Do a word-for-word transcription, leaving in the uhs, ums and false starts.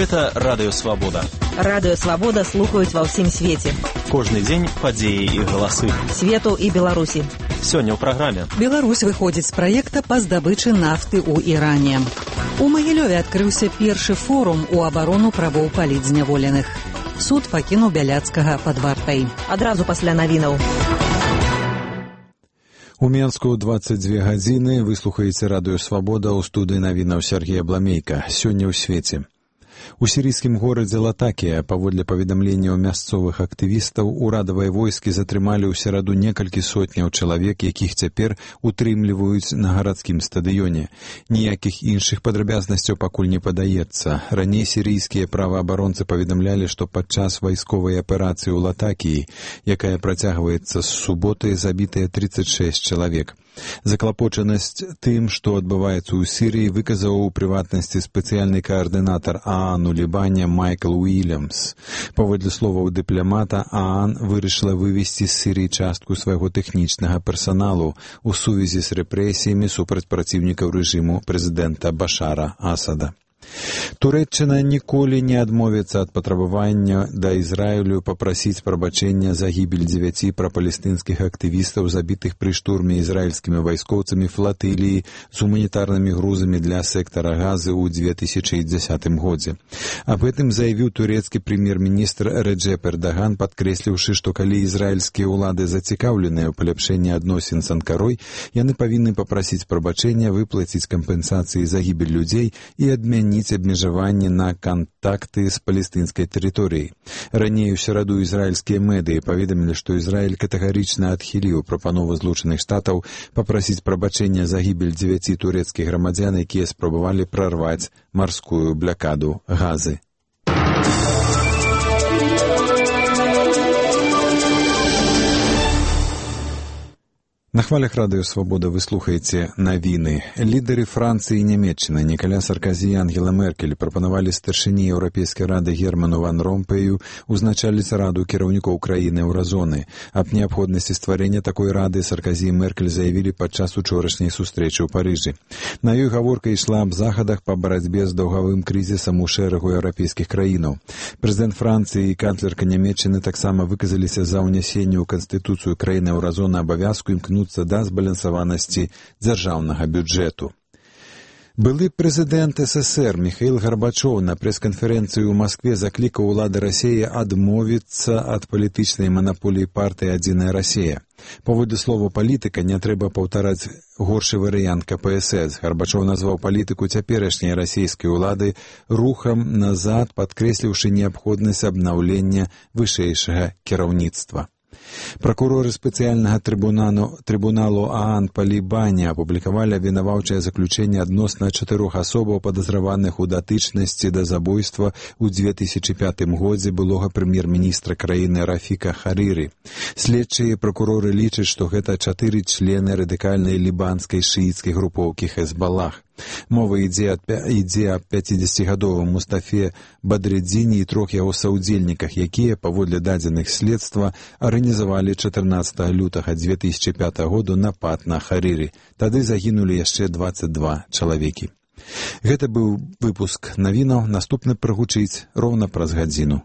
Гэта Радыё Свабода. Радыё Свабода слухаюць ва ўсім свеце. Кожны дзень падзеі і галасы. Свету і Беларусі. Сёння ў праграме. Беларусь выходзіць з праекта па здабычы нафты ў Іране. У Магілёве адкрыўся першы форум у абарону правоў палітзняволеных. Суд пакінуў Бяляцкага пад вартай. Адразу пасля навінаў. У Менску дваццаць дзве гадзіны выслухаеце Радыё Свабода ў студыі навінаў Сергея Бламейка. Сёння ў свеце. У сірійскім горадзе Латакія, паводле паведамленняў мясцовых актывістаў, урадавыя войскі затрымалі ў сераду некалькі сотняў чалавек, якіх цяпер утрымліваюць на гарадскім стадыёне. Ніякіх іншых падрабязнасцяў пакуль не падаецца. Раней сірійскія праваабаронцы паведамлялі, што падчас вайсковай аперацыі ў Латакіі, якая працягваецца з суботы, забітыя трыццаць шэсць чалавек. Заклапочанасць тым, што адбываецца ў Сірыі, выказаў у прыватнасці спецыяльны каардынатар ААН у Лібане Майкл Уільямс. Паводле словаў дыпламата, ААН вырашыла вывесці з Сірыі частку свайго тэхнічнага персаналу ў сувязі з рэпрэсіямі супраць праціўнікаў рэжыму прэзідэнта Башара Асада. Турэччына ніколі не адмовіцца ад патрабавання да Ізраілю папрасіць прабачэння за гібель дзевяці прапалестынскіх актывістаў, забітых пры штурме ізраільскімі вайскоўцамі флатыліі з гуманітарнымі грузамі для сектара Газы ў дзве тысячы дзесятым годзе. Аб гэтым заявіў турэцкі прэм'ер-міністр Рэджэп Эрдаган, падкрэсліўшы, што калі ізраільскія ўлады зацікаўленыя ў паляпшэнні адносін з Анкарой, яны павінны папрасіць прабачэння, выплаціць кампенсацыі за гібель людзей і адмяніць абмежаванні на кантакты з палестынскай тэрыторыяй. Раней у сераду ізраільскія медыі паведамілі, што Ізраіль катэгарычна адхіліў прапанову Злучаных Штатаў папрасіць прабачэння за гібель дзевяці турэцкіх грамадзян, якія спрабавалі прарваць марскую блякаду Газы. На хвалях Радыё Свабода вы слухаеце навіны. Лідары Францыі і Нямецчыны Нікаля Сарказі і Ангела Меркель прапанавалі старшыні Еўрапейскай рады Герману Ван Ромпэю узначаліць раду кіраўнікоў краіны еўразоны. Аб неабходнасці стварэння такой рады Сарказі і Меркель заявілі падчас учорашняй сустрэчы ў Парыжы. На ёй гаворка ішла аб захадах па барацьбе з даўгавым крызісам у шэрагу еўрапейскіх краінаў. Прэзідэнт Францыі і канцлерка Нямецчыны таксама выказаліся за ўнясенне ў канстытуцыю краіны еўразоны абавязку імкнуцца да збалансаванасці дзяржаўнага бюджэту. Былы прэзідэнт СССР Міхаіл Гарбачоў на прэс-канферэнцыі ў Маскве заклікаў улады Расіі адмовіцца ад палітычнай манаполіі партыі «Адзіная Расія». Паводле слова палітыка не трэба паўтараць горшы варыянт КПСС. Гарбачоў назваў палітыку цяперашняй расійскай улады рухам назад, падкрэсліўшы неабходнасць абнаўлення вышэйшага кіраўніцтва. Пракуроры спецыяльнага трыбуналу, трыбуналу ААН па Лібане апублікавалі абвінаваўчае заключэнне адносна чатырох асобаў, падазраваных у датычнасці да забойства ў дзве тысячы пятым годзе былога прэм'ер-міністра краіны Рафіка Харыры. Следчыя пракуроры лічаць, што гэта чатыры члены радыкальнай лібанскай шыіцкай групоўкі Хезбалах. Мова ідзе аб пяцідзесяцігадовым Мустафе Бадрыдзіне і трох яго саўдзельніках, якія, паводле дадзеных следства, арганізавалі чатырнаццатага лютага дзве тысячы пятага году напад на Харыры. Тады загінулі яшчэ дваццаць два чалавекі. Гэта быў выпуск навінаў. Наступны прагучыць роўна праз гадзіну.